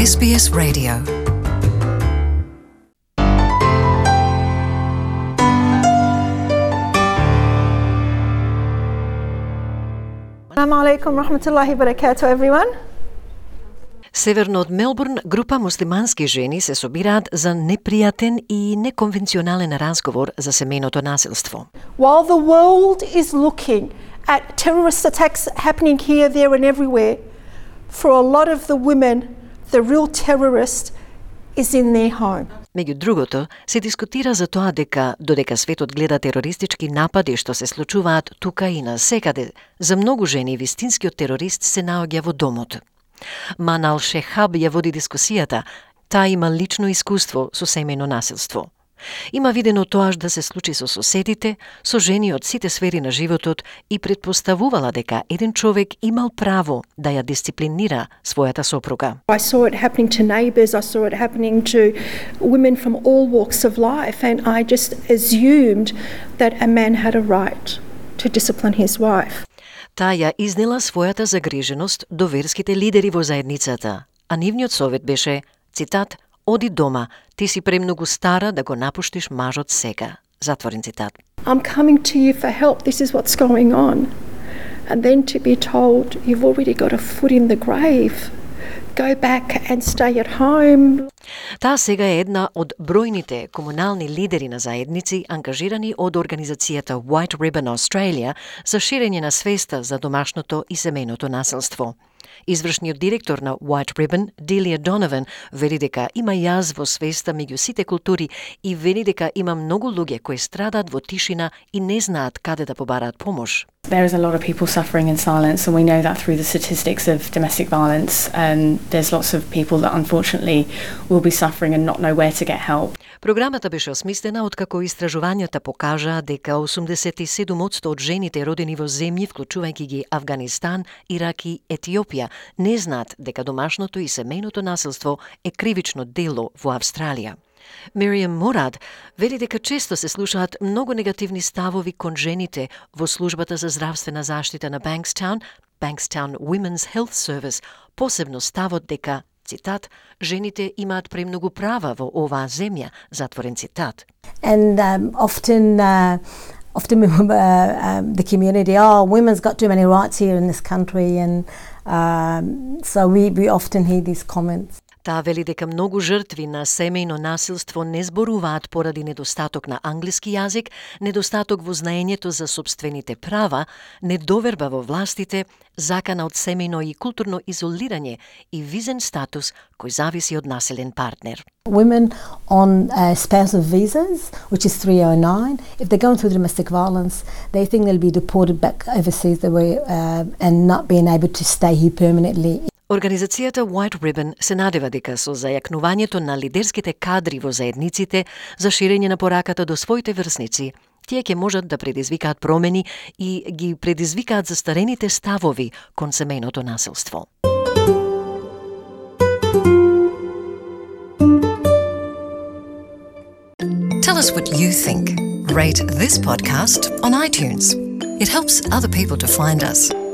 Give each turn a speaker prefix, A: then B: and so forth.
A: SBS Radio.
B: Assalamu alaikum rahmatullahi barakatuh everyone.
C: Северно од Мелбурн, група муслимански жени се собираат за непријатен и неконвенционален разговор за семејното насилство.
B: While the world is looking at terrorist attacks happening here, there and everywhere, for a lot of the women, the real terrorist is in their home.
C: Меѓу другото, се дискутира за тоа дека, додека светот гледа терористички напади што се случуваат тука и насекаде, за многу жени вистинскиот терорист се наоѓа во домот. Манал Шехаб ја води дискусијата. Таа има лично искуство со семејно насилство. Има видено тоа да се случи со соседите, со жени од сите сфери на животот и предпоставувала дека еден човек имал право да ја дисциплинира својата сопруга.
B: I saw it happening to neighbours, I saw it happening to women from all walks of life, and I just assumed that a man had a right to discipline his wife.
C: Таа ја изнела својата загриженост до верските лидери во заедницата, а нивниот совет беше, цитат, "Оди дома, ти си премногу стара да го напуштиш мажот сега." Затворен цитат.
B: I'm coming to you for help, this is what's going on. And then to be told, you've already got a foot in the grave. Go back and stay at home.
C: Таа сега е една од бројните комунални лидери на заедници ангажирани од организацијата White Ribbon Australia за ширење на свеста за домашното и семејното насилство. Извршниот директор на White Ribbon, Delia Donovan, вели дека има јаз во свеста меѓу сите култури и вели дека има многу луѓе кои страдаат во тишина и не знаат каде да побараат помош.
D: There is a lot of people suffering in silence, and we know that through the statistics of domestic violence. There's lots of people that unfortunately will be suffering and not know where to get help.
C: Програмата беше осмислена откако истражувањата покажаа дека 87% од жените родени во земји, вклучувајќи ги Авганистан, Ирак и Етиопија, не знаат дека домашното и семејното насилство е кривично дело во Австралија. Мириам Мурад вели дека често се слушаат многу негативни ставови кон жените во службата за здравствена заштита на Bankstown Women's Health Service, посебно ставот дека, цитат, жените имаат премногу права во оваа земја, затворен цитат.
E: And often the community, women's got too many rights here in this country, and so we often hear these comments.
C: Таа вели дека многу жртви на семејно насилство не зборуваат поради недостаток на англиски јазик, недостаток во знаењето за сопствените права, недоверба во властите, закана од семејно и културно изолирање и визен статус кој зависи од населен партнер.
E: Women on spousal visas, which is 309, if they're going through domestic violence, they think they'll be deported back overseas and not being able to stay here permanently.
C: Организацијата White Ribbon се надева дека со зајакнувањето на лидерските кадри во заедниците за ширење на пораката до своите врсници, тие ќе можат да предизвикаат промени и ги предизвикаат застарените ставови кон семејното насилство.
A: Tell us what you think. Rate this podcast on iTunes. It helps other people to find us.